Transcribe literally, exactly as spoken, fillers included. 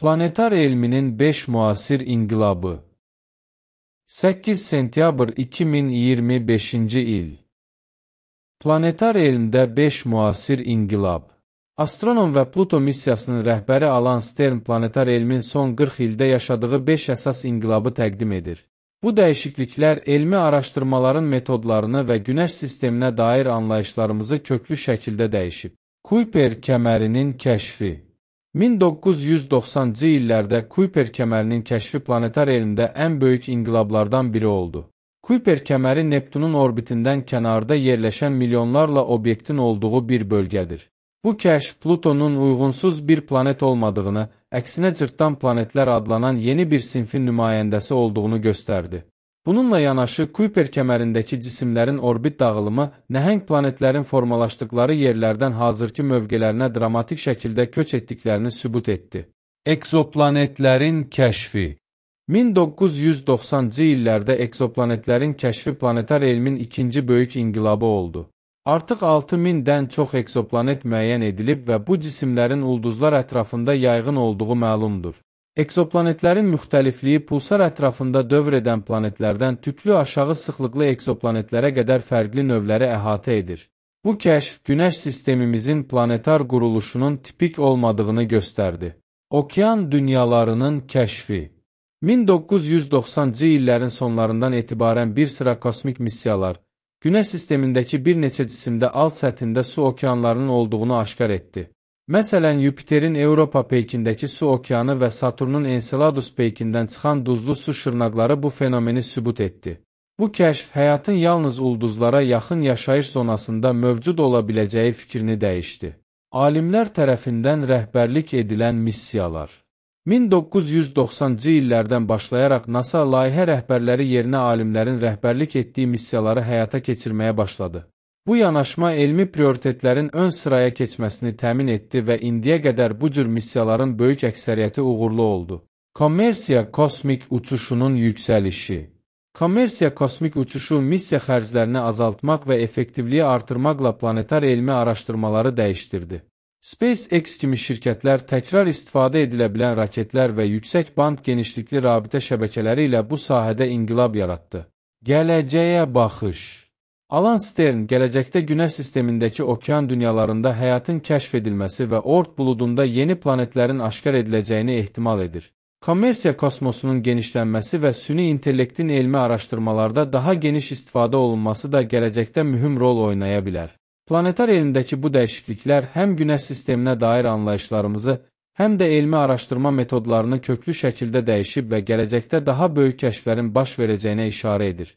Planetar elminin beş müasir inqilabı. səkkiz sentyabr iki min iyirmi beşinci il. Planetar elmdə beş müasir inqilab. Astronom və Pluto missiyasının rəhbəri Alan Stern planetar elmin son qırx ildə yaşadığı beş əsas inqilabı təqdim edir. Bu dəyişikliklər elmi araşdırmaların metodlarını və Günəş sisteminə dair anlayışlarımızı köklü şəkildə dəyişib. Kuiper kəmərinin kəşfi. min doqquz yüz doxsancı illərdə Kuiper kəmərinin kəşfi planetar elmdə ən böyük inqilablardan biri oldu. Kuiper kəməri Neptunun orbitindən kənarda yerləşən milyonlarla obyektin olduğu bir bölgədir. Bu kəşf Plutonun uyğunsuz bir planet olmadığını, əksinə cırtdan planetlər adlanan yeni bir sinfin nümayəndəsi olduğunu göstərdi. Bununla yanaşı, Kuiper kəmərindəki cisimlərin orbit dağılımı nəhəng planetlərin formalaşdıqları yerlərdən hazırki mövqələrinə dramatik şəkildə köç etdiklərini sübut etdi. Ekzoplanetlərin kəşfi. min doqquz yüz doxsancı illərdə ekzoplanetlərin kəşfi planetar elmin ikinci böyük inqilabı oldu. Artıq altı mindən çox ekzoplanet müəyyən edilib və bu cisimlərin ulduzlar ətrafında yayğın olduğu məlumdur. Ekzoplanetlərin müxtəlifliyi pulsar ətrafında dövr edən planetlərdən tüklü aşağı sıxlıqlı ekzoplanetlərə qədər fərqli növləri əhatə edir. Bu kəşf Günəş sistemimizin planetar quruluşunun tipik olmadığını göstərdi. Okean dünyalarının kəşfi. min doqquz yüz doxsancı illərin sonlarından etibarən bir sıra kosmik missiyalar, Günəş sistemindəki bir neçə cisimdə alt səthində su okeanlarının olduğunu aşkar etdi. Məsələn, Yupiterin Europa peykindəki su okeanı və Saturnun Enceladus peykindən çıxan duzlu su şırnaqları bu fenomeni sübut etdi. Bu kəşf həyatın yalnız ulduzlara yaxın yaşayış zonasında mövcud ola biləcəyi fikrini dəyişdi. Alimlər tərəfindən rəhbərlik edilən missiyalar. min doqquz yüz doxsancı illərdən başlayaraq NASA layihə rəhbərləri yerinə alimlərin rəhbərlik etdiyi missiyaları həyata keçirməyə başladı. Bu yanaşma elmi prioritetlərin ön sıraya keçməsini təmin etdi və indiyə qədər bu cür missiyaların böyük əksəriyyəti uğurlu oldu. Kommersiya kosmik uçuşunun yüksəlişi. Kommersiya kosmik uçuşu missiya xərclərini azaltmaq və effektivliyi artırmaqla planetar elmi araşdırmaları dəyişdirdi. SpaceX kimi şirkətlər təkrar istifadə edilə bilən raketlər və yüksək band genişlikli rabitə şəbəkələri ilə bu sahədə inqilab yaratdı. Gələcəyə baxış. Alan Stern, gələcəkdə Günəş sistemindəki okean dünyalarında həyatın kəşf edilməsi və Oort buludunda yeni planetlərin aşkar ediləcəyini ehtimal edir. Kommersiya kosmosunun genişlənməsi və süni intellektin elmi araşdırmalarda daha geniş istifadə olunması da gələcəkdə mühüm rol oynaya bilər. Planetar elmdəki bu dəyişikliklər həm Günəş sisteminə dair anlayışlarımızı, həm də elmi araşdırma metodlarını köklü şəkildə dəyişib və gələcəkdə daha böyük kəşflərin baş verəcəyinə işarə edir.